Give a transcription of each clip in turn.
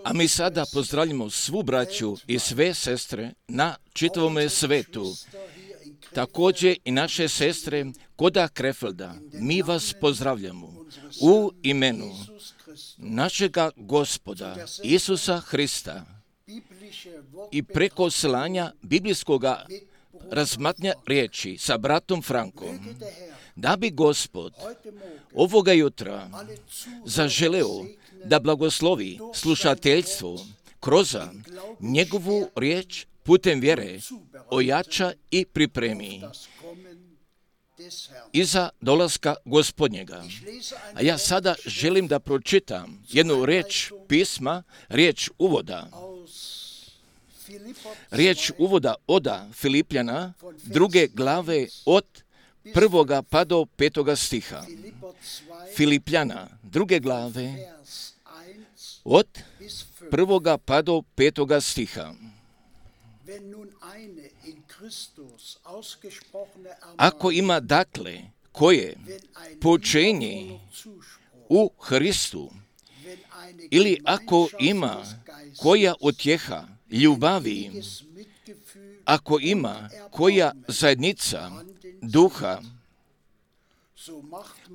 A mi sada pozdravljamo svu braću i sve sestre na čitavome svetu. Također i naše sestre koda Krefelda. Mi vas pozdravljamo u imenu našega Gospoda Isusa Hrista i preko slanja biblijskoga razmatnja riječi sa bratom Frankom, da bi Gospod ovoga jutra zaželeo da blagoslovi slušateljstvo kroz njegovu riječ putem vjere ojača i pripremi iza dolaska Gospodnjega. A ja sada želim da pročitam jednu riječ pisma, riječ uvoda od Filipljana, 2. glave od 1. pa do 5. stiha. Filipljana, 2. glave od 1. pa do 5. stiha. Ako ima dakle koje poučenje u Hristu, ili ako ima koja utjeha ljubavi, ako ima koja zajednica duha,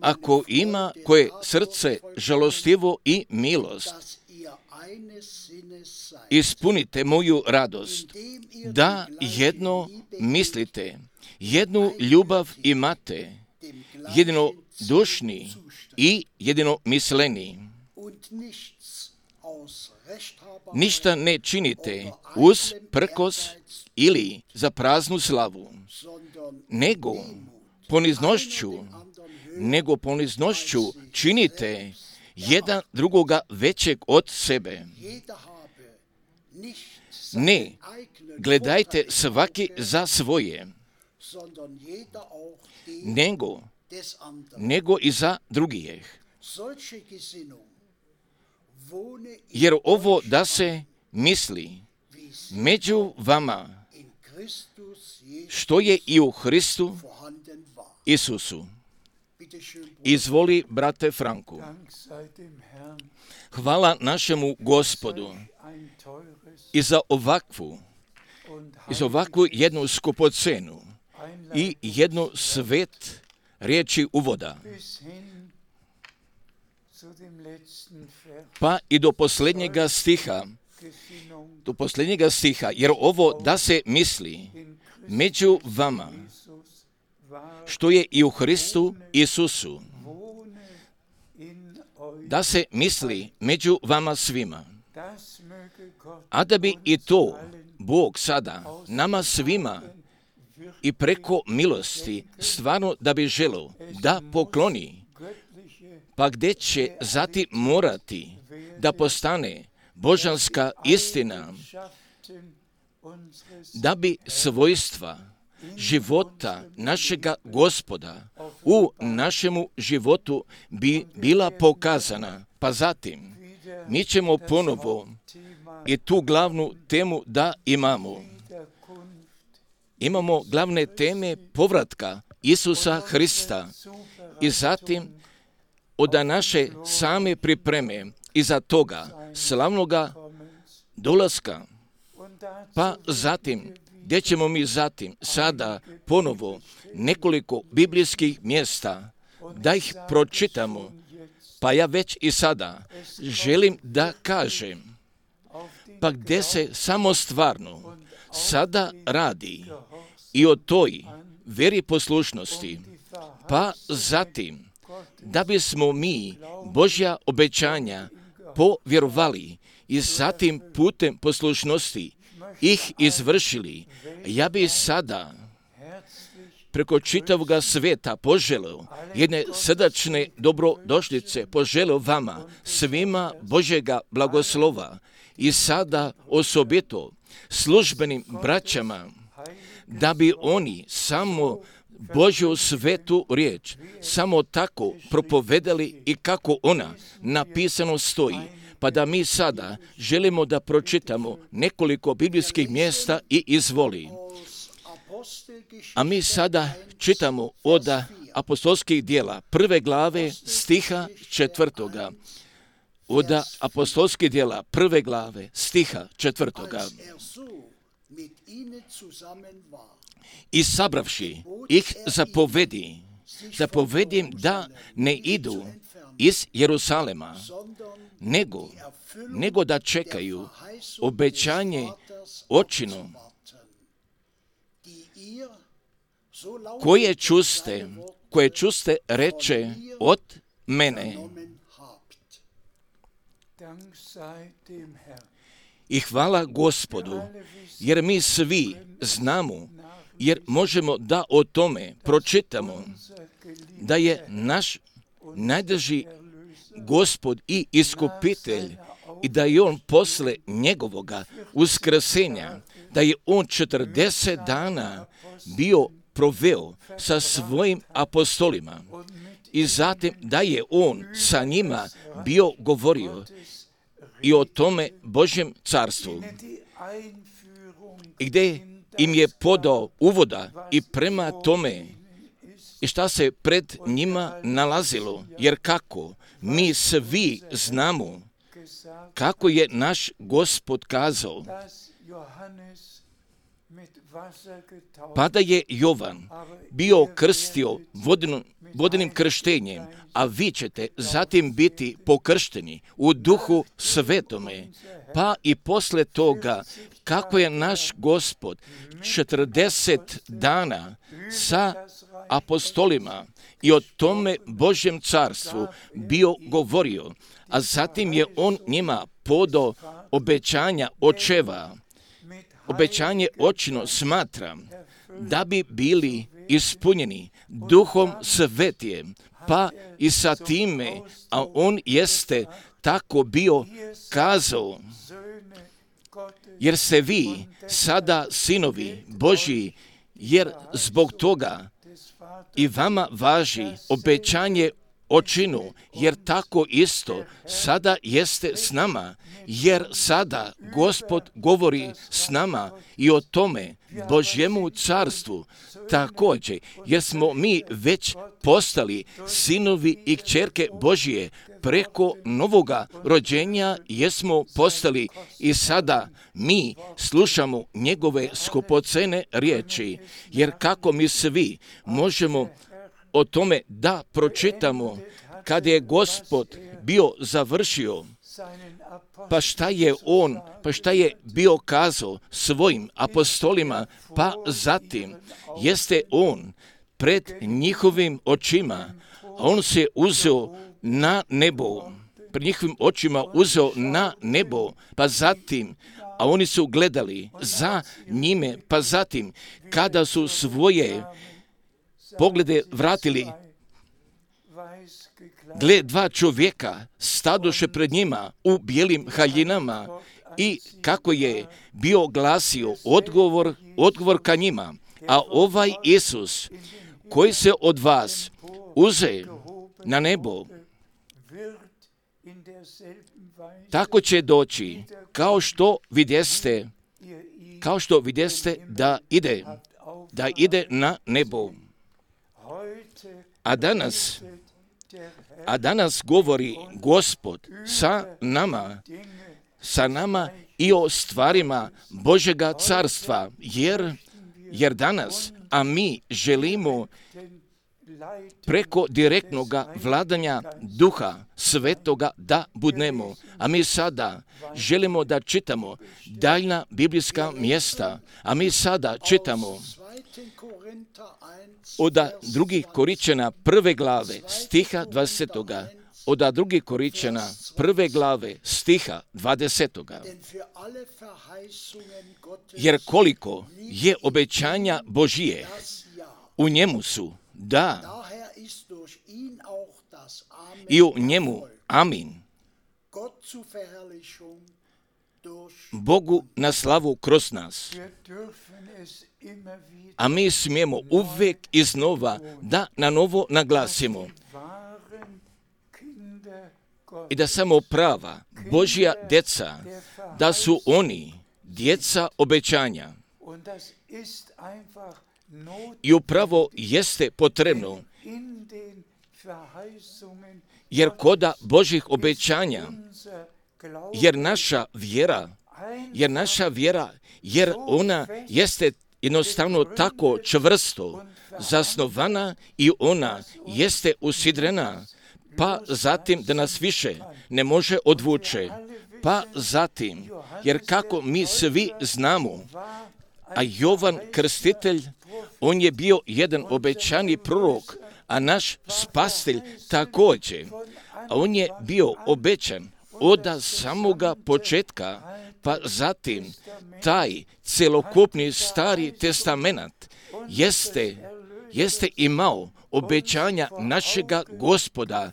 ako ima koje srce žalostivo i milost, ispunite moju radost, da jedno mislite, jednu ljubav imate, jedino dušni i jedino misleni. Ništa ne činite uz prkos ili za praznu slavu, nego poniznošću činite jedan drugoga većeg od sebe. Ne gledajte svaki za svoje, nego i za drugih. Jer ovo da se misli među vama, što je i u Hristu Isusu. Izvoli, brate Franku. Hvala našemu Gospodu i za ovakvu jednu skupocenu i jednu svet riječi uvoda. Pa i do posljednjega stiha, jer ovo da se misli među vama, što je i u Hristu Isusu, da se misli među vama svima. A da bi i to Bog sada nama svima i preko milosti stvarno da bi želio da pokloni, pa gdje će zatim morati da postane božanska istina, da bi svojstva života našega Gospoda u našemu životu bi bila pokazana. Pa zatim mi ćemo ponovo i tu glavnu temu da imamo. Imamo glavne teme povratka Isusa Hrista i zatim od naše same pripreme iza toga slavnoga dolaska. Pa zatim, gdje ćemo mi zatim sada ponovo nekoliko biblijskih mjesta da ih pročitamo, pa ja već i sada želim da kažem, pa gdje se samo stvarno sada radi i o toj veri poslušnosti, pa zatim da bismo mi Božja obećanja povjerovali i zatim putem poslušnosti ih izvršili. Ja bi sada preko čitavoga sveta poželio jedne srdačne dobrodošlice, poželio vama svima Božjega blagoslova i sada osobito službenim braćama, da bi oni samo Božju svetu riječ samo tako propovedali i kako ona napisano stoji. Pa da mi sada želimo da pročitamo nekoliko biblijskih mjesta i izvoli. A mi sada čitamo od apostolskih djela 1. glave stiha 4. od apostolskih djela 1. glave stiha 4. I sabravši ih zapovedi da ne idu iz Jerusalema, nego da čekaju obećanje očino koje čuste reče od mene. I hvala Gospodu, jer mi svi znamo, jer možemo da o tome pročitamo, da je naš najdraži Gospod i iskupitelj i da je on posle njegovoga uskrsenja, da je on 40 dana bio proveo sa svojim apostolima i zatim da je on sa njima bio govorio i o tome Božjem carstvu, i gdje im je podao uvoda i prema tome i šta se pred njima nalazilo, jer kako mi svi znamo kako je naš Gospod kazao, pa da je Jovan bio krstio vodenim krštenjem, a vi ćete zatim biti pokršteni u Duhu Svetome, pa i posle toga kako je naš Gospod 40 dana sa apostolima i o tome Božjem carstvu bio govorio, a zatim je on njima podao obećanja očeva. Obećanje očino smatram da bi bili ispunjeni Duhom Svetijem, pa i sa time, a on jeste tako bio kazao, jer ste vi sada sinovi Božji, jer zbog toga i vama važi obećanje očinu, jer tako isto sada jeste s nama, jer sada Gospod govori s nama i o tome Božjemu carstvu također, jer smo mi već postali sinovi i kćerke Božje preko novoga rođenja, jesmo postali i sada mi slušamo njegove skupocene riječi, jer kako mi svi možemo o tome da pročitamo kad je Gospod bio završio, pa šta je bio kazao svojim apostolima, pa zatim jeste on pred njihovim očima, a on se uzeo na nebo, pred njihovim očima uzeo na nebo, pa zatim, a oni su gledali za njime, pa zatim, kada su svoje poglede vratili, gle, dva čovjeka stadoše pred njima u bijelim haljinama i kako je bio glasio odgovor ka njima, a ovaj Isus koji se od vas uze na nebo, tako će doći kao što vidjeste da ide na nebo. A danas govori Gospod sa nama i o stvarima Božjega carstva, jer danas, a mi želimo preko direktnoga vladanja Duha Svetoga da budemo. A mi sada želimo da čitamo daljna biblijska mjesta, a mi sada čitamo od 2. Koričana 1. glave stiha 20. Od 2. Koričana 1. glave stiha 20. Jer koliko je obećanja Božije, u njemu su da i u njemu amin. Bogu na slavu kroz nas. A mi smijemo uvijek iznova da na novo naglasimo i da samo prava Božja djeca, da su oni djeca obećanja. I upravo jeste potrebno, jer koda Božjih obećanja jer naša vjera, jer ona jeste jednostavno tako čvrsto zasnovana i ona jeste usidrena, pa zatim da nas više ne može odvuče. Pa zatim, jer kako mi svi znamo, a Jovan Krstitelj, on je bio jedan obećani prorok, a naš spasitelj također. A on je bio obećan od samoga početka, pa zatim taj celokupni Stari testament jeste imao obećanja našega Gospoda,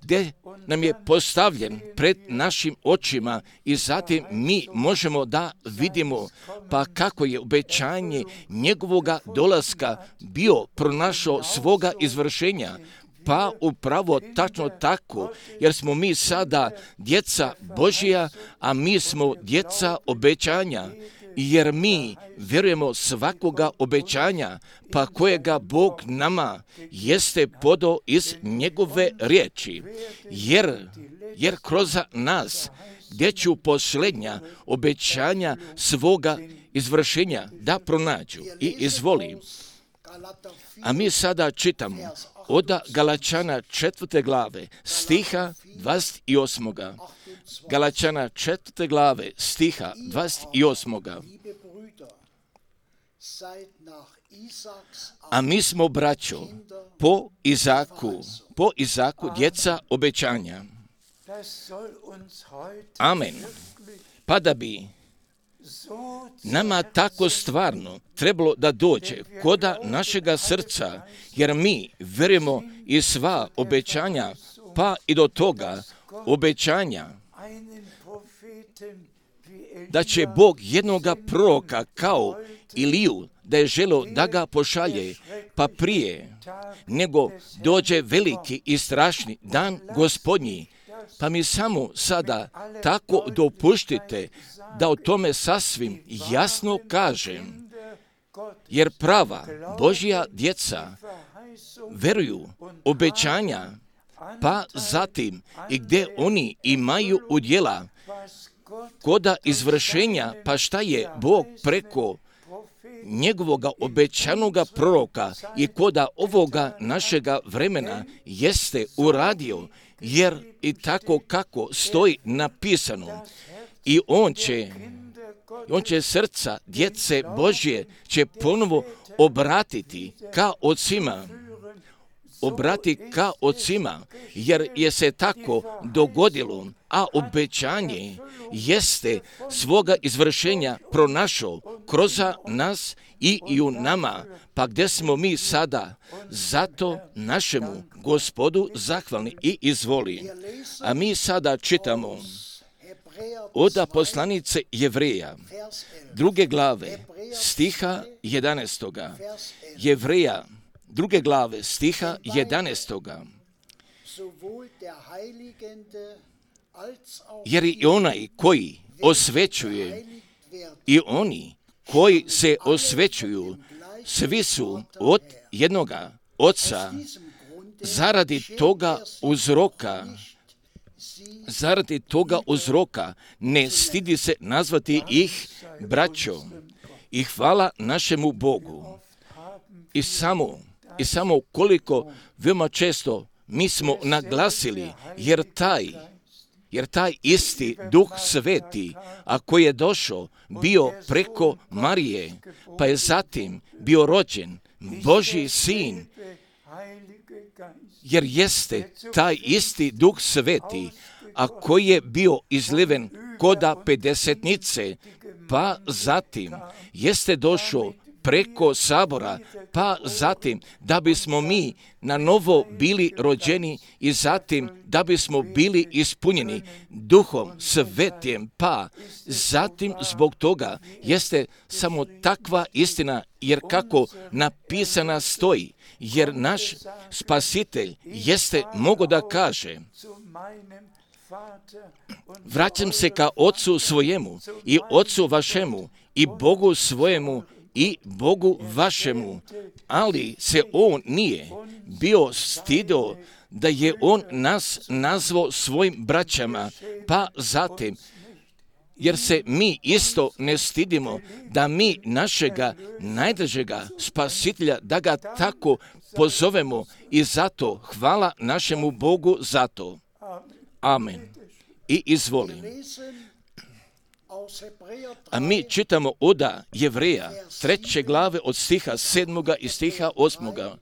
gdje nam je postavljen pred našim očima i zatim mi možemo da vidimo pa kako je obećanje njegovoga dolaska bio pronašao svoga izvršenja. Pa upravo tačno tako, jer smo mi sada djeca Božja, a mi smo djeca obećanja, jer mi vjerujemo svakoga obećanja, pa kojega Bog nama jeste podao iz njegove riječi, jer kroz nas gdje ću posljednja obećanja svoga izvršenja da pronađu i izvoli. A mi sada čitamo od Galačana 4. glave stiha 28. Galačana 4. glave stiha 28. A mi smo, braćo, po Izaku djeca obećanja. Amen. Pa da bi nama tako stvarno trebalo da dođe koda našega srca, jer mi vjerujemo i sva obećanja, pa i do toga obećanja da će Bog jednoga proroka kao Iliju, da je želio da ga pošalje, pa prije nego dođe veliki i strašni dan Gospodnji. Pa mi samo sada tako dopuštite da o tome sasvim jasno kažem, jer prava Božja djeca veruju obećanja, pa zatim i gdje oni imaju udjela koda izvršenja, pa šta je Bog preko njegovoga obećanoga proroka i koda ovoga našega vremena jeste uradio, jer i tako kako stoji napisano, i on će srca djece Božje će ponovo obratiti ka ocima, jer je se tako dogodilo, a obećanje jeste svoga izvršenja pronašao kroz nas i u nama, pa gdje smo mi sada zato našemu Gospodu zahvalni i izvoli. A mi sada čitamo od poslanice Jevreja, 2. glave, stiha 11. Jevreja, 2. glave, stiha 11. Jer i onaj koji osvećuje i oni koji se osvećuju, svi su od jednoga Oca. Zaradi toga uzroka ne stidi se nazvati ih braćo. I hvala našemu Bogu. I samo koliko veoma često mi smo naglasili, jer taj isti Duh Sveti, a koji je došao, bio preko Marije, pa je zatim bio rođen Božji sin, jer jeste taj isti Duh Sveti, a koji je bio izliven koda pedesetnice, pa zatim jeste došao preko sabora, pa zatim da bismo mi na novo bili rođeni i zatim da bismo bili ispunjeni Duhom Svetim, pa zatim zbog toga jeste samo takva istina, jer kako napisana stoji, jer naš Spasitelj jeste mogo da kaže: vraćam se ka Otcu svojemu i Otcu vašemu i Bogu svojemu i Bogu vašemu, ali se on nije bio stidio da je on nas nazvao svojim braćama, pa zatim, jer se mi isto ne stidimo da mi našega najdražega spasitelja, da ga tako pozovemo i zato hvala našemu Bogu za to. Amen. I izvolim. A mi čitamo od Jevreja 3. glave od stiha 7. i stiha 8.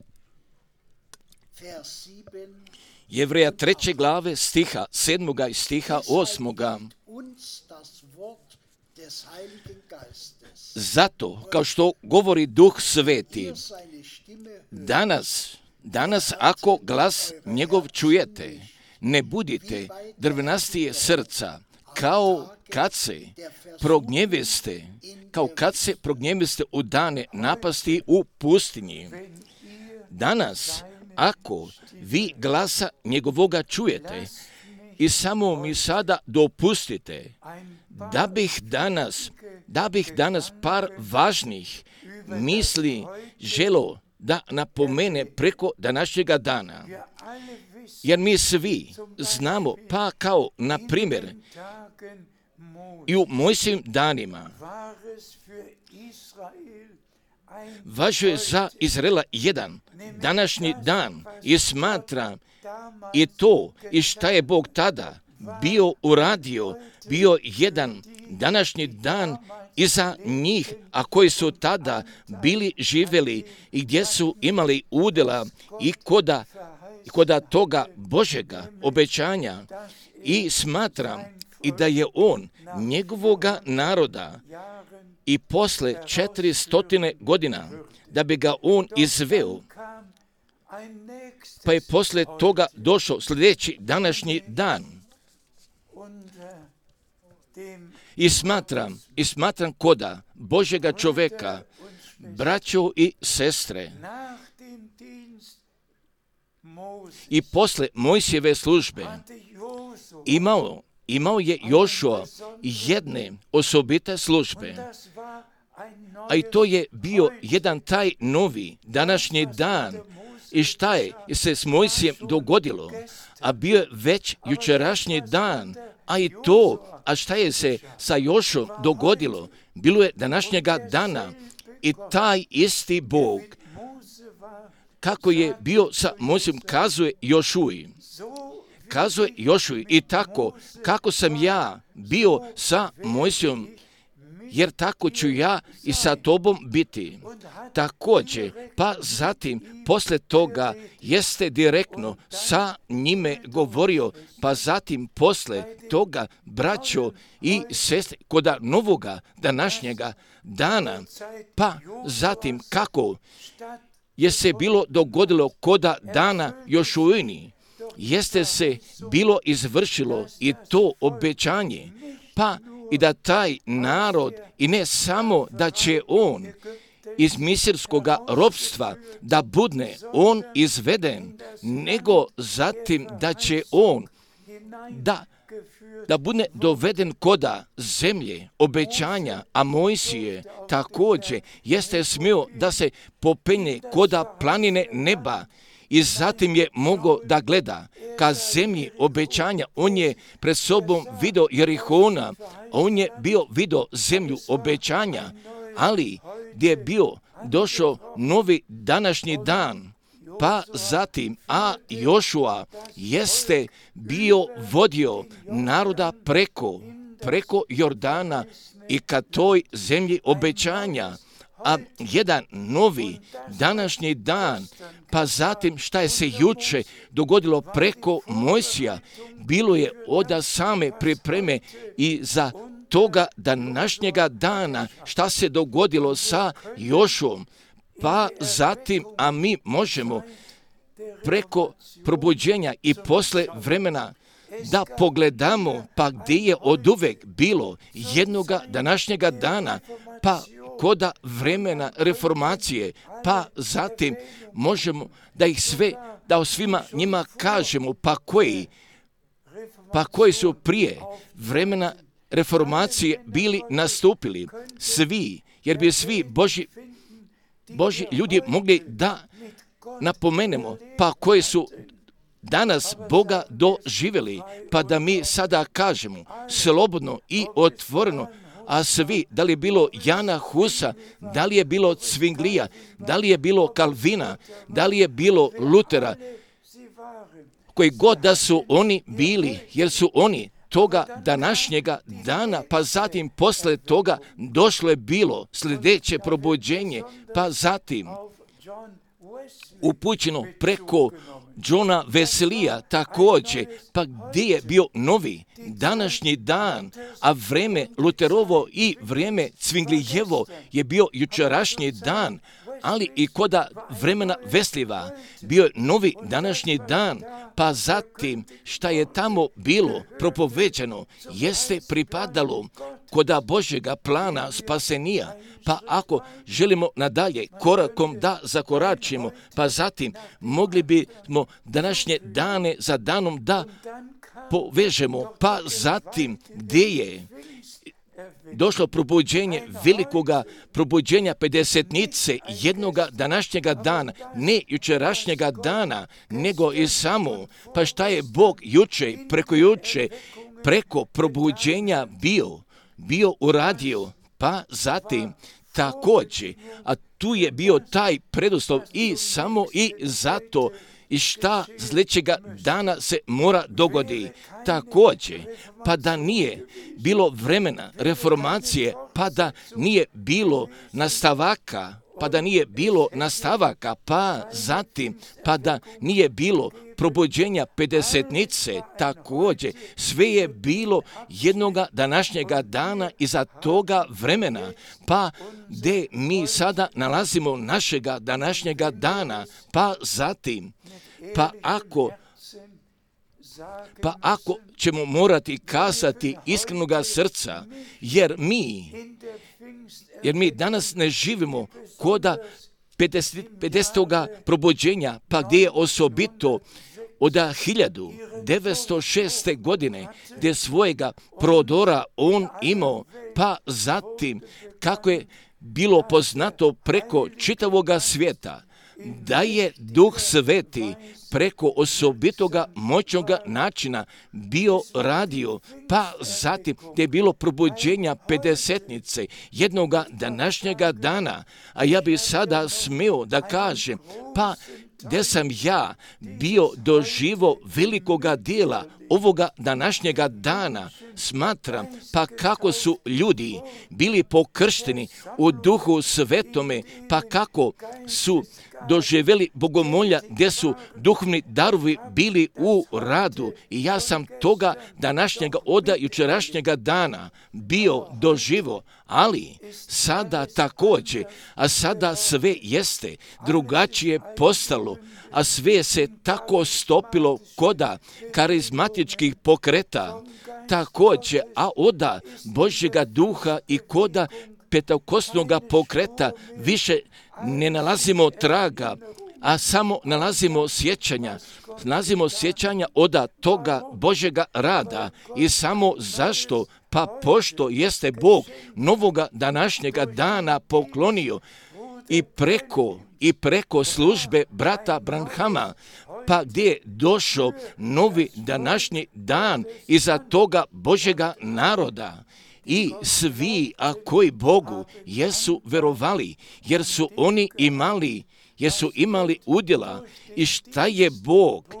Jevreja 3. glave stiha 7. i stiha 8. Zato, kao što govori Duh Sveti, danas ako glas njegov čujete, ne budite drvenastije srca, kao kad se prognjeviste u dane napasti u pustinji. Danas, ako vi glasa njegovoga čujete i samo mi sada dopustite da bih danas par važnih misli želo da napomene preko današnjega dana. Jer mi svi znamo, pa kao na primjer i u Mojsijevim danima važio je za Izraela jedan današnji dan i smatram i to i šta je Bog tada bio uradio, bio jedan današnji dan i za njih, a koji su tada bili živjeli i gdje su imali udjela i koda toga Božjega obećanja, i smatram i da je on njegovoga naroda i posle 400 godina da bi ga on izveo, pa je posle toga došao sljedeći današnji dan. I smatram koda Božjega čoveka, braćo i sestre, i posle Mojsijeve službe imao je Jošua jedne osobite službe, a i to je bio jedan taj novi današnji dan. I šta je se s Mojsijem dogodilo? A bio je već jučerašnji dan, a šta je se sa Jošom dogodilo? Bilo je današnjega dana i taj isti Bog, kako je bio sa Mojsijem, kazuje Jošuji i tako kako sam ja bio sa Mojsijom, jer tako ću ja i sa tobom biti. Također, pa zatim, posle toga, jeste direktno sa njime govorio, pa zatim, posle toga, braćo i sestre, koda novoga današnjega dana, pa zatim, kako je se bilo dogodilo koda dana Jošuini, jeste se bilo izvršilo i to obećanje, pa i da taj narod, i ne samo da će on iz misirskoga ropstva da bude on izveden, nego zatim da će on da bude doveden koda zemlje obećanja, a Mojsije također jeste smio da se popenje koda planine neba i zatim je mogao da gleda ka zemlji obećanja. On je pred sobom vidio Jerihona, on je vidio zemlju obećanja, ali gdje je bio došao novi današnji dan, pa zatim, a Jošua jeste bio vodio naroda preko Jordana i ka toj zemlji obećanja, a jedan novi današnji dan, pa zatim šta je se juče dogodilo preko Mojsija, bilo je od same pripreme i za toga današnjega dana šta se dogodilo sa Jošuom, pa zatim, a mi možemo preko probuđenja i posle vremena da pogledamo, pa gdje je oduvek bilo jednoga današnjega dana, pa koda vremena reformacije, pa zatim možemo da ih sve, da o svima njima kažemo, pa koji su prije vremena reformacije bili nastupili, svi, jer bi svi Božji ljudi mogli da napomenemo, pa koji su danas Boga doživjeli, pa da mi sada kažemo slobodno i otvoreno, a svi, da li je bilo Jana Husa, da li je bilo Zwinglija, da li je bilo Kalvina, da li je bilo Lutera, koji god da su oni bili, jer su oni toga današnjega dana, pa zatim posle toga došlo je bilo sljedeće probuđenje, pa zatim upućeno preko Johna Weslija također, pa gdje je bio novi današnji dan, a vrijeme Luterovo i vrijeme Zwinglijevo je bio jučerašnji dan, ali i koda vremena Veslijeva bio je novi današnji dan, pa zatim šta je tamo bilo propoveđeno jeste pripadalo koda Božjega plana spasenija. Pa ako želimo nadalje korakom da zakoračimo, pa zatim mogli bismo današnje dane za danom da povežemo, pa zatim gdje je došlo probuđenje velikoga probuđenja pedesetnice jednoga današnjega dana, ne jučerašnjega dana, nego i samo, pa šta je Bog juče, preko probuđenja bio uradio, pa zatim također, a tu je bio taj preduslov i samo i zato i šta sljedećega dana se mora dogodi. Također, pa da nije bilo vremena reformacije, pa da nije bilo nastavaka, pa zatim, pa da nije bilo probuđenja pedesetnice, također, sve je bilo jednoga današnjega dana iza toga vremena, pa gdje mi sada nalazimo našega današnjega dana, pa zatim, pa ako ćemo morati kazati iskrenoga srca, jer mi danas ne živimo koda 50. probuđenja, pa gdje je osobito od 1906. godine, gdje svojega prodora on imao, pa zatim kako je bilo poznato preko čitavoga svijeta, da je Duh Sveti preko osobitoga moćnoga načina bio radio, pa zatim gdje je bilo probuđenja pedesetnice jednoga današnjega dana, a ja bi sada smio da kažem, pa gdje sam ja bio doživo velikoga dijela ovoga današnjega dana, smatram, pa kako su ljudi bili pokršteni u Duhu Svetome, pa kako su doživjeli bogomolja gdje su duhovni darovi bili u radu. I ja sam toga današnjega od jučerašnjega dana bio doživo, ali sada također, a sada sve jeste drugačije postalo, a sve se tako stopilo koda karizmatičkih pokreta, također, a oda Božjega duha i koda pentekostnoga pokreta više ne nalazimo traga, a samo nalazimo sjećanja od toga Božjega rada. I samo zašto? Pa pošto jeste Bog novoga današnjega dana poklonio i preko službe brata Branhama, pa gdje je došao novi današnji dan iza toga Božjega naroda. I svi, a koji Bogu jesu verovali, jer su imali udjela i šta je Bog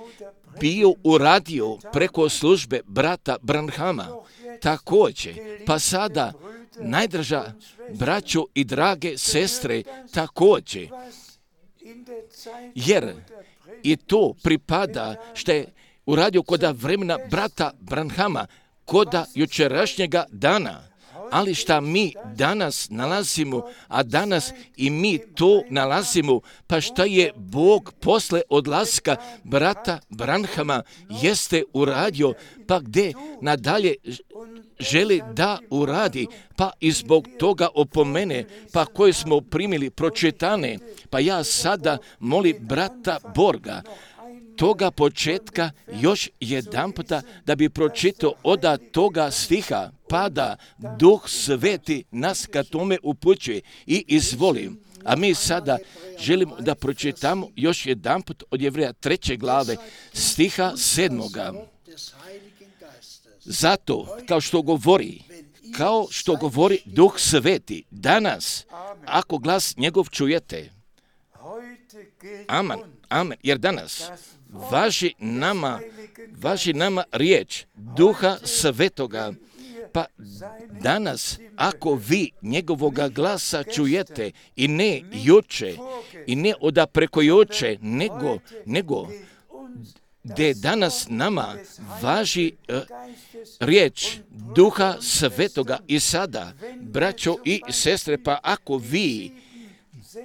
bio uradio preko službe brata Branhama. Također, pa sada, najdraža braćo i drage sestre, također, jer i to pripada što je uradio koda vremena brata Branhama, koda jučerašnjega dana, ali šta mi danas nalazimo, a danas i mi to nalazimo, pa šta je Bog posle odlaska brata Branhama jeste uradio, pa gdje nadalje želi da uradi, pa i zbog toga opomene, pa koje smo primili pročitane, pa ja sada molim brata Borga, toga početka još jedanputa da bi pročitao od toga stiha, pa da Duh Sveti nas ka tome upućuje i izvolim. A mi sada želimo da pročitamo još jedanput od Jevreja 3. glave stiha 7. Zato, kao što govori Duh Sveti, danas, ako glas njegov čujete, amen, amen, jer danas važi nama riječ Duha Svetoga, pa danas, ako vi njegovoga glasa čujete i ne juče, i ne oda preko juče, nego gdje danas nama važi riječ Duha Svetoga i sada, braćo i sestre, pa ako vi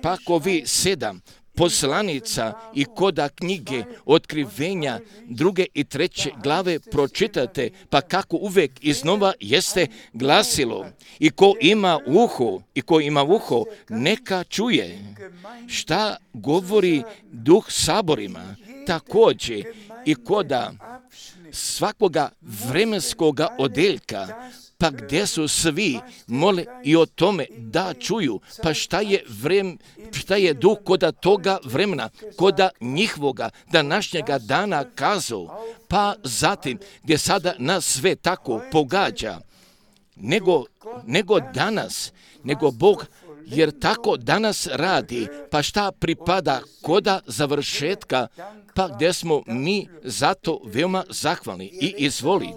7 poslanica i koda knjige Otkrivenja 2. i 3. glave pročitate, pa kako uvijek iznova jeste glasilo. I ko ima uho, neka čuje šta govori Duh saborima. Također i koda svakoga vremenskoga odeljka, pa gdje su svi mole i o tome da čuju, pa šta je Duh koda toga vremena, koda njihovoga današnjega dana kazao, pa zatim gdje sada nas sve tako pogađa, nego danas, nego Bog, jer tako danas radi, pa šta pripada koda završetka, pa gdje smo mi zato veoma zahvalni i izvoli.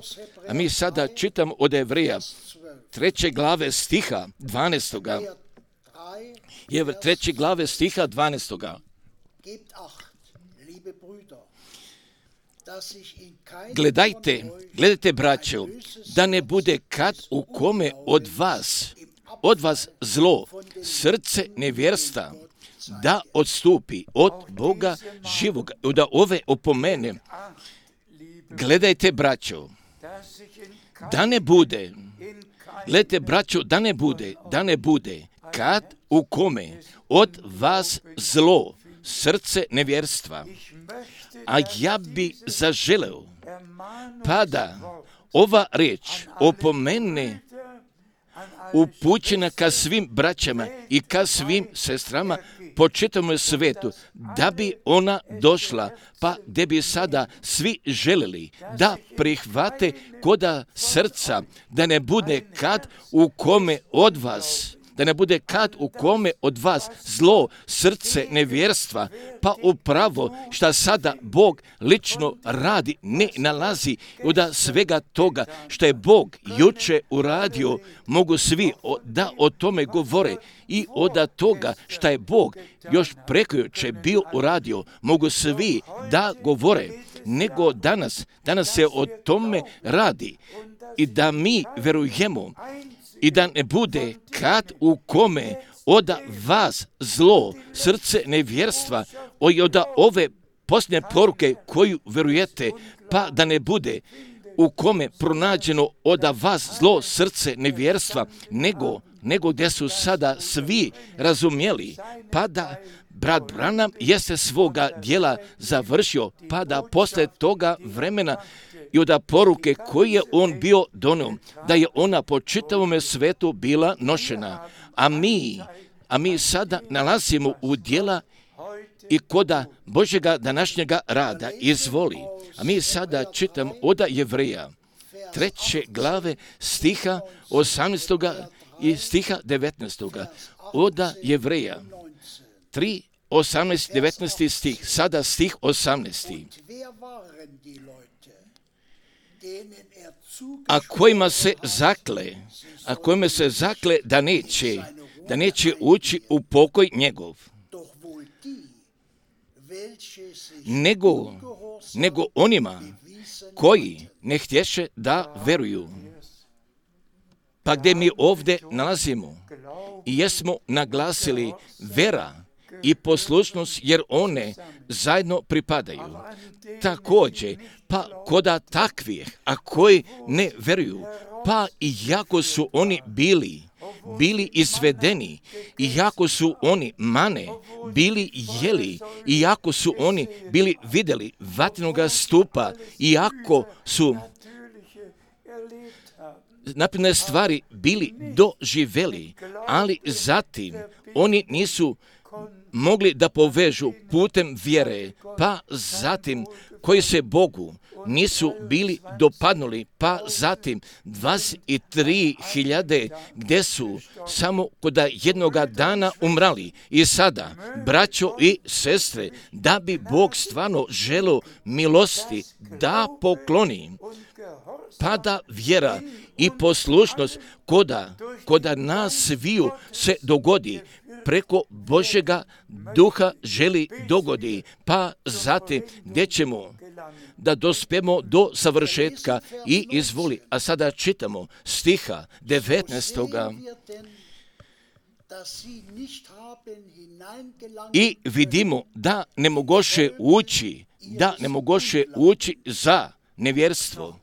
A mi sada čitamo od Jevreja 3. glave stiha 12. Jevreja 3. glave stiha 12. Gledajte, braćo, da ne bude kad u kome od vas zlo, srce nevjerstva, da odstupi od Boga živoga, da ove opomene. Gledajte, braćo, da ne bude, da ne bude kad u kome od vas zlo, srce nevjerstva. A ja bi zaželeo, pa da ova riječ opomene upućena ka svim braćama i ka svim sestrama po čitavom svijetu, da bi ona došla, pa gdje bi sada svi želeli da prihvate koda srca, da ne bude kad u kome od vas zlo, srce nevjerstva, pa upravo šta sada Bog lično radi, ne nalazi od svega toga što je Bog juče uradio, mogu svi da o tome govore i od toga što je Bog još prekojuče bio uradio, mogu svi da govore, nego danas se o tome radi i da mi verujemo i da ne bude kad u kome od vas zlo, srce nevjerstva, od ove posljednje poruke koju verujete, pa da ne bude u kome pronađeno od vas zlo, srce nevjerstva, nego gdje su sada svi razumjeli, pa da brat Branham jeste svoga djela završio, pa da posle toga vremena i od poruke koje je on bio donio, da je ona po čitavome svetu bila nošena. A mi sada nalazimo u djela i koda Božjega današnjega rada izvoli. A mi sada čitam od Jevreja 3. glave stiha 18. i stiha 19. Od Jevreja 3, 18, 19. stih, sada stih 18. A kojima se zakle da neće ući u pokoj njegov, nego onima koji ne htješe da veruju. Pa gdje mi ovdje nalazimo i jesmo naglasili vera i poslušnost, jer one zajedno pripadaju. Također, pa koda takvih, a koji ne veruju, pa i jako su oni bili izvedeni, i jako su oni mane bili jeli, i jako su oni bili vidjeli vatrenoga stupa, i jako su napredne stvari bili doživjeli, ali zatim oni nisu mogli da povežu putem vjere, pa zatim koji se Bogu nisu bili dopadnuli, pa zatim 23.000 gdje su samo kod jednoga dana umrali. I sada, braćo i sestre, da bi Bog stvarno želio milosti da pokloni, pada vjera i poslušnost koda nas sviju se dogodi, preko Božjega duha želi dogodi, pa zatim gdje ćemo da dospemo do savršetka i izvoli. A sada čitamo stiha 19. I vidimo da ne mogoše ući za nevjerstvo.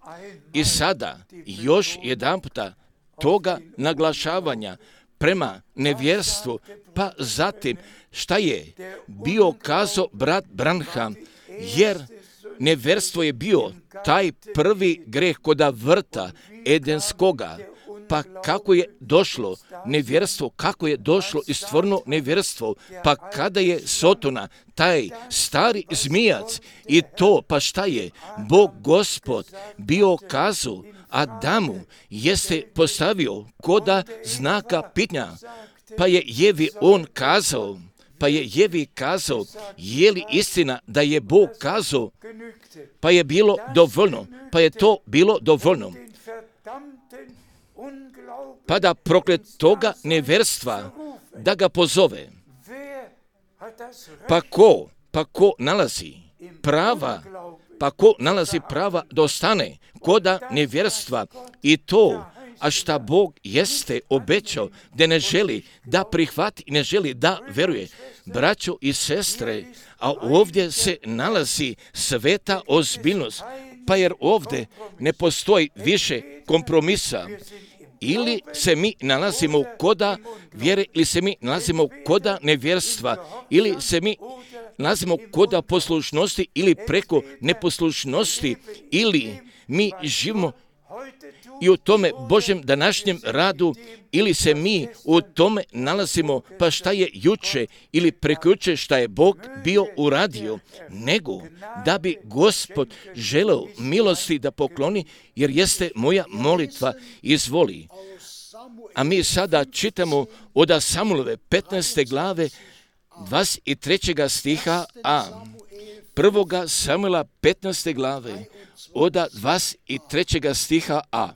I sada još jedanputa toga naglašavanja prema nevjerstvu, pa zatim šta je bio kazao brat Branham, jer nevjerstvo je bio taj prvi greh koda vrta Edenskoga. Pa kako je došlo nevjerstvo, kako je došlo i stvorno nevjerstvo, pa kada je Sotona, taj stari zmijac, i to, pa šta je Bog Gospod bio kazao Adamu, jeste postavio koda znaka pitanja, pa je Jevi kazao, je li istina da je Bog kazao, pa je bilo dovoljno, pa je to bilo dovoljno. Pa da proklet toga nevjerstva da ga pozove. Pa ko nalazi prava da ostane koda nevjerstva i to, a šta Bog jeste obećao, da ne želi da prihvati, ne želi da veruje. Braćo i sestre, a ovdje se nalazi sveta ozbiljnost, pa jer ovdje ne postoji više kompromisa. Ili se mi nalazimo koda vjere, ili se mi nalazimo koda nevjerstva, ili se mi nalazimo koda poslušnosti, ili preko neposlušnosti, ili mi živimo i u tome Božjem današnjem radu, ili se mi u tome nalazimo, pa šta je juče ili prekjuče šta je Bog bio uradio, nego da bi Gospod želeo milosti da pokloni, jer jeste moja molitva, izvoli. A mi sada čitamo od Samuelove 15. glave 23. stiha a 1. Samuela 15. glave od 23. stiha a.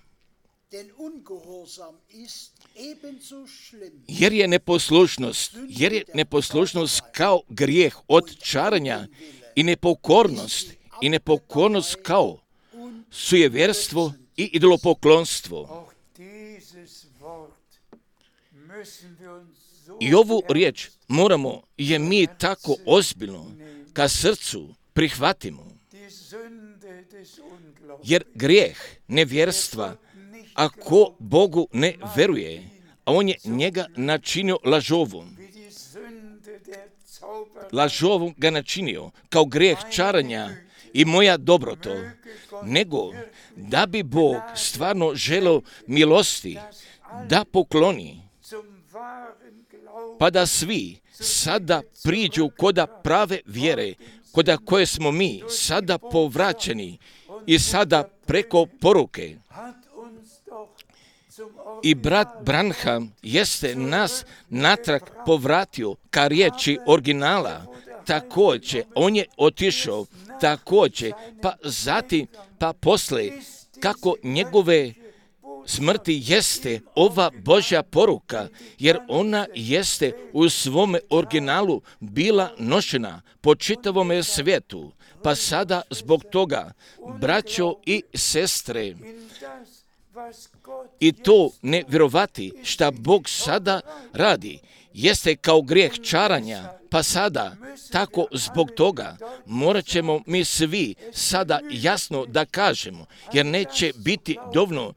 Jer je neposlušnost kao grijeh od čaranja i nepokornost kao sujevjerstvo i idolopoklonstvo. I ovu riječ moramo je mi tako ozbiljno ka srcu prihvatimo. Jer grijeh nevjerstva, ako Bogu ne veruje, a on je njega načinio lažovom ga načinio kao grijeh čaranja i moja dobroto, nego da bi Bog stvarno želeo milosti da pokloni, pa da svi sada priđu koda prave vjere, koda koje smo mi sada povraćeni i sada preko poruke. I brat Branham jeste nas natrag povratio ka riječi originala, također, on je otišao, također, pa zatim, pa poslije, kako njegove smrti jeste ova Božja poruka, jer ona jeste u svome originalu bila nošena po čitavome svijetu. Pa sada zbog toga, braćo i sestre, i to ne vjerovati šta Bog sada radi, jeste kao grijeh čaranja, pa sada, tako zbog toga, morat ćemo mi svi sada jasno da kažemo, jer neće biti dovoljno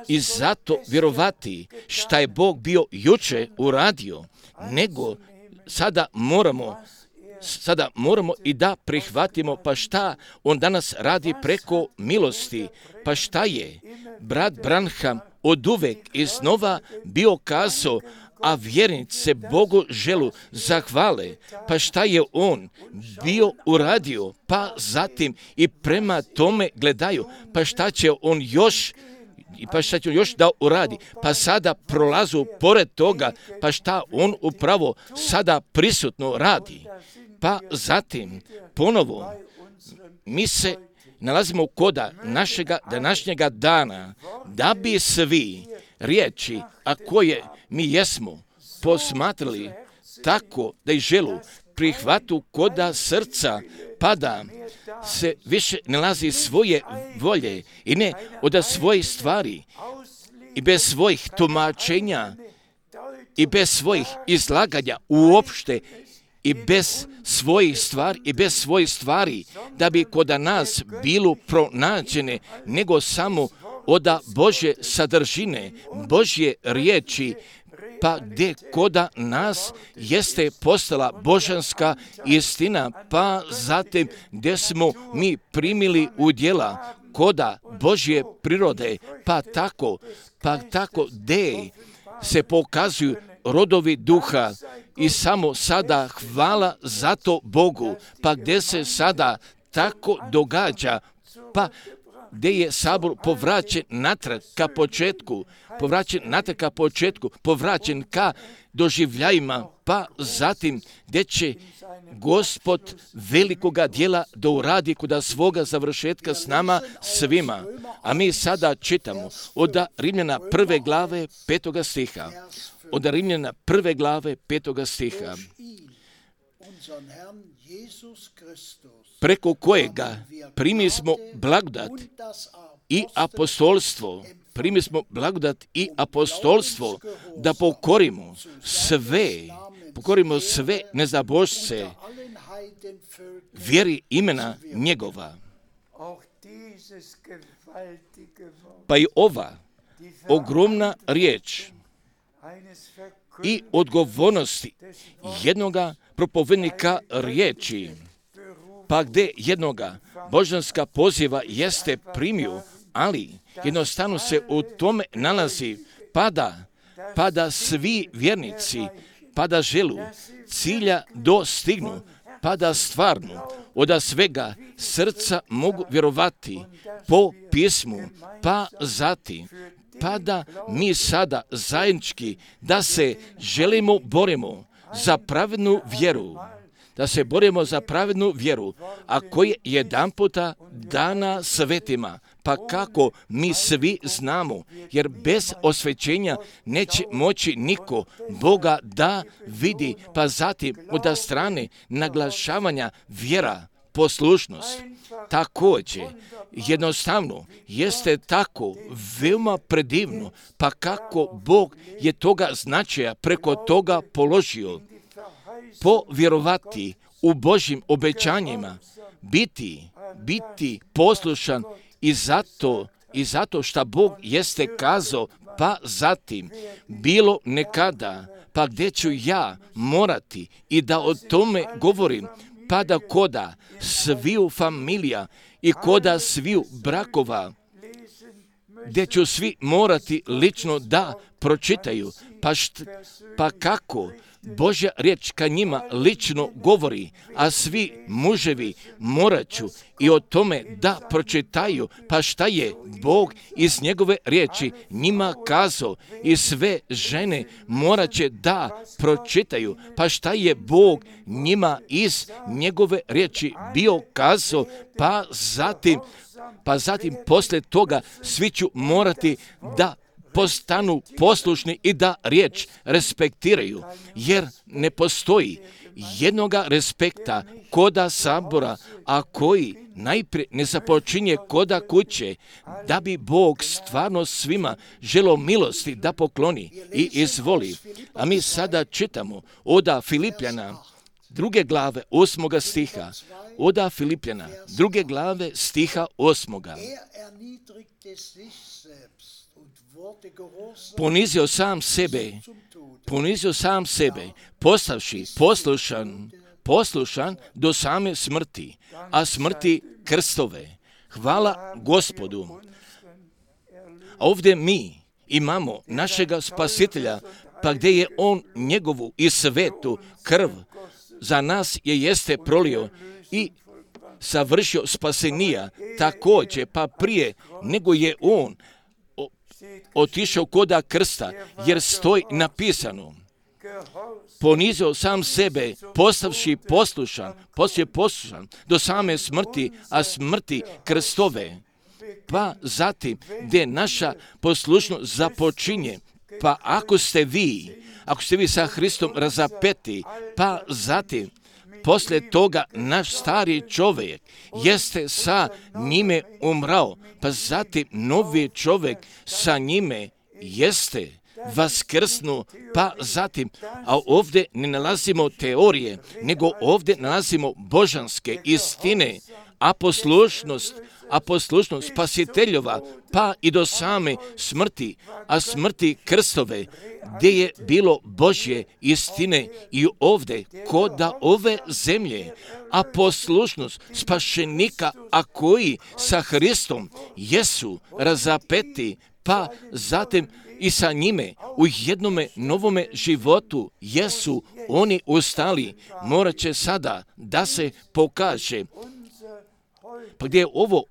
i zato vjerovati šta je Bog bio juče uradio, nego sada moramo i da prihvatimo, pa šta on danas radi preko milosti, pa šta je brat Branham oduvek iznova bio kazao, a vjernici se Bogu želu zahvale, pa šta je on bio uradio, pa zatim i prema tome gledaju, pa šta će on još da uradi, pa sada prolazu pored toga, pa šta on upravo sada prisutno radi. Pa zatim ponovo mi se nalazimo koda našega današnjega dana, da bi svi riječi, a koje mi jesmo posmatrali tako da ih želu prihvatu koda srca, pa da se više nalazi svoje volje i ne od svojih stvari i bez svojih tumačenja i bez svojih izlaganja uopšte i bez svojih stvari da bi koda nas bilo pronađene, nego samo od Božje sadržine, Božje riječi, pa gdje koda nas jeste postala božanska istina, pa zatim gdje smo mi primili udjela koda Božje prirode, pa tako gdje se pokazuju rodovi duha i samo sada hvala za to Bogu, pa gdje se sada tako događa, pa gdje je sabor povraćen natrag ka početku, povraćen ka doživljajima, pa zatim gdje će Gospod velikoga djela da uradi kod svoga završetka s nama svima. A mi sada čitamo od Rimljana 1. glave 5. stiha. Od Rimljana 1. glave 5. stiha. Preko kojega primi smo blagodat i apostolstvo, da pokorimo sve nezabožce vjeri imena njegova. Pa i ova ogromna riječ i odgovornosti jednoga propovednika riječi, pa gdje jednoga božanska poziva jeste primio, ali jednostavno se u tome nalazi pa da svi vjernici, pa da želu cilja dostignu, pa da stvarno od svega srca mogu vjerovati po pismu, pa zatim, pa da mi sada zajednički da se borimo za pravednu vjeru, a koja je jedanputa dana svetima, pa kako mi svi znamo, jer bez osvećenja neće moći niko Boga da vidi, pa zatim od strane naglašavanja vjera, poslušnost. Također, jednostavno, jeste tako veoma predivno, pa kako Bog je toga značaja preko toga položio, povjerovati u Božjim obećanjima, biti poslušan i zato što Bog jeste kazao, pa zatim bilo nekada, pa gdje ću ja morati i da o tome govorim, pa da koda sviju familija i koda sviju brakova, gdje ću svi morati lično da pročitaju, pa kako Božja riječ ka njima lično govori, a svi muževi morat ću i o tome da pročitaju, pa šta je Bog iz njegove riječi njima kazao, i sve žene morat će da pročitaju, pa šta je Bog njima iz njegove riječi bio kazao, pa zatim poslije toga svi ću morati da postanu poslušni i da riječ respektiraju, jer ne postoji jednoga respekta koda sabora, a koji najprije ne započinje koda kuće, da bi Bog stvarno svima želio milosti da pokloni i izvoli. A mi sada čitamo od Filipljana 2. glave 8. stiha. Od Filipljana 2. glave stiha 8. Ponizio sam sebe, postavši poslušan do same smrti, a smrti krstove. Hvala Gospodu. Ovdje mi imamo našega spasitelja, pa gdje je on njegovu i svetu krv za nas jeste prolio i savršio spasenija također, pa prije nego je on otišao koda krsta, jer stoji napisano, ponizio sam sebe, postavši poslušan do same smrti, a smrti krstove. Pa zatim, gdje naša poslušnost započinje, pa ako ste vi sa Hristom razapeti, pa zatim, poslije toga naš stari čovjek jeste sa njime umrao, pa zatim novi čovjek sa njime jeste vaskrsnu, pa zatim, a ovdje ne nalazimo teorije, nego ovdje nalazimo božanske istine, a poslušnost spasiteljova, pa i do same smrti, a smrti krstove, gdje je bilo Božje istine i ovdje, koda ove zemlje, a poslušnost spašenika, a koji sa Hristom jesu razapeti, pa zatim i sa njime u jednome novome životu jesu oni ustali, morat će sada da se pokaže. Pa gdje je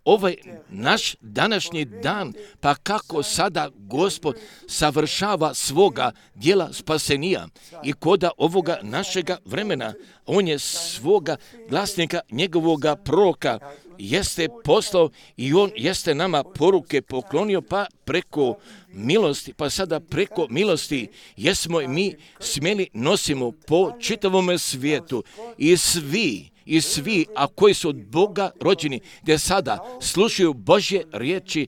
ovaj naš današnji dan, pa kako sada Gospod savršava svoga djela spasenija i koda ovoga našega vremena, on je svoga glasnika, njegovoga proroka, jeste poslao i on jeste nama poruke poklonio, pa preko milosti, pa sada preko milosti jesmo i mi smjeli nosimo po čitavome svijetu i svi, a koji su od Boga rođeni, gdje sada slušaju Božje riječi,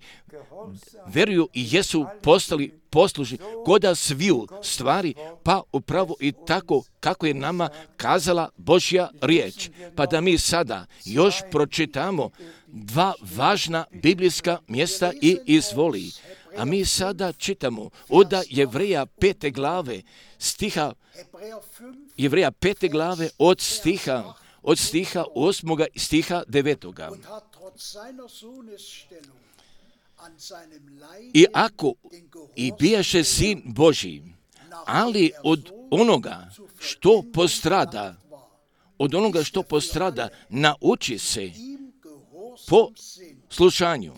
veruju i jesu postali poslušni koda sviju stvari, pa upravo i tako kako je nama kazala Božja riječ. Pa da mi sada još pročitamo dva važna biblijska mjesta i izvoli. A mi sada čitamo od Jevreja 5. glave stiha, Jevreja 5. glave od stiha 8. i stiha 9. I ako i bijaše sin Božji, ali od onoga što postrada, nauči se po slušanju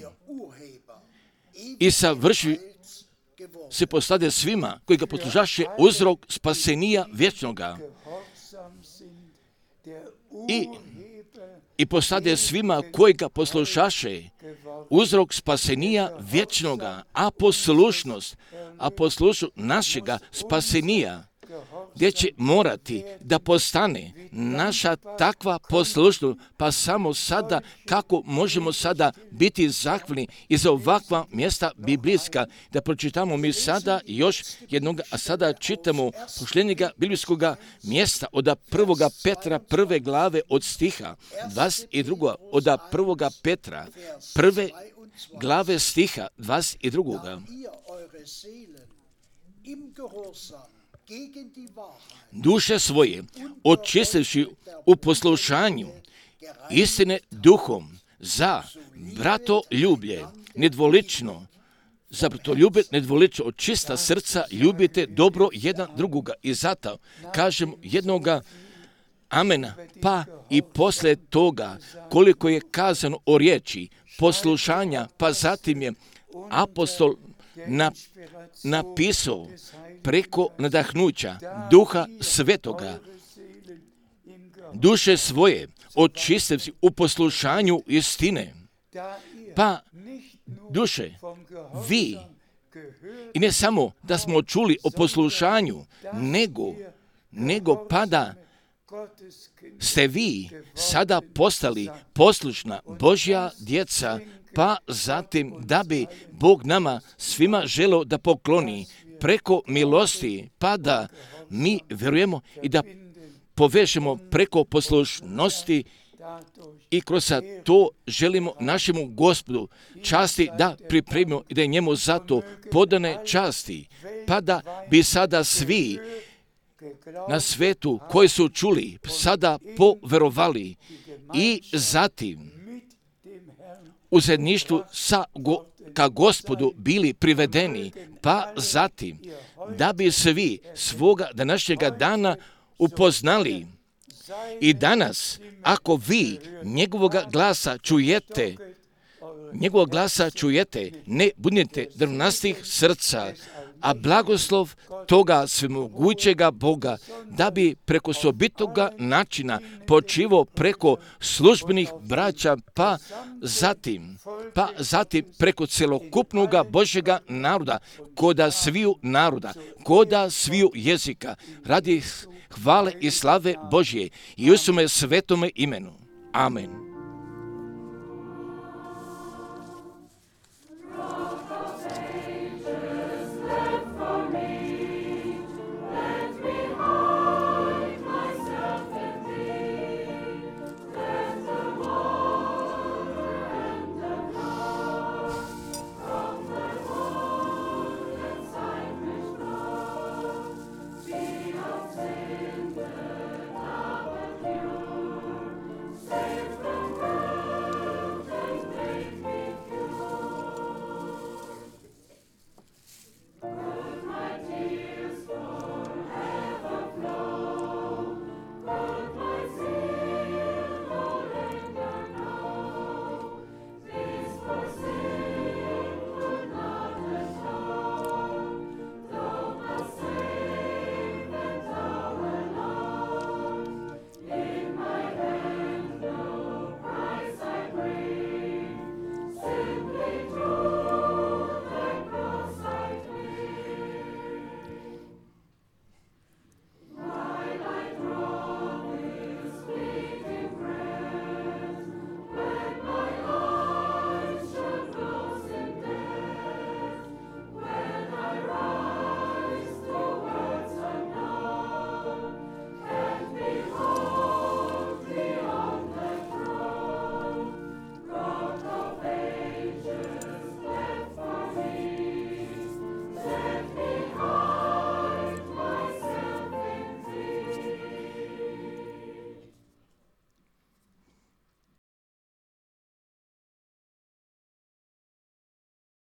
i savrši se postade svima koji ga poslušaše uzrok spasenija vječnoga. I postade svima koji ga poslušaše uzrok spasenija vječnoga, a poslušnost našega spasenija, gdje će morati da postane naša takva poslušnost, pa samo sada kako možemo sada biti zahvalni i za ovakva mjesta biblijska, da pročitamo mi sada još jednog, a sada čitamo posljednjega biblijskog mjesta od 1. Petra 1. glave od stiha 22. od 1. Petra 1. glave stiha 22. Duše svoje očistivši u poslušanju istine duhom za bratoljublje nedvolično, od čista srca ljubite dobro jedan drugoga. I zato kažem jednoga amena, pa i poslije toga koliko je kazano o riječi poslušanja, pa zatim je apostol napisao preko nadahnuća Duha Svetoga, duše svoje očistivši u poslušanju istine. Pa duše, vi, i ne samo da smo čuli o poslušanju, nego pa da ste vi sada postali poslušna Božja djeca, pa zatim da bi Bog nama svima želeo da pokloni preko milosti, pa da mi vjerujemo i da povežemo preko poslušnosti i kroz to želimo našemu Gospodu časti da pripremimo i da je njemu zato podane časti, pa da bi sada svi na svetu koji su čuli sada poverovali i zatim u zajedništvu sa ka Gospodu bili privedeni, pa zatim da bi svi svoga današnjega dana upoznali. I danas, ako vi njegovoga glasa čujete, ne budite drvnastih srca, a blagoslov toga svemogućega Boga, da bi preko sobitoga načina počivo preko službenih braća, pa zatim preko celokupnoga Božjega naroda, koda sviju jezika, radi hvale i slave Božje i u svome svetome imenu. Amen.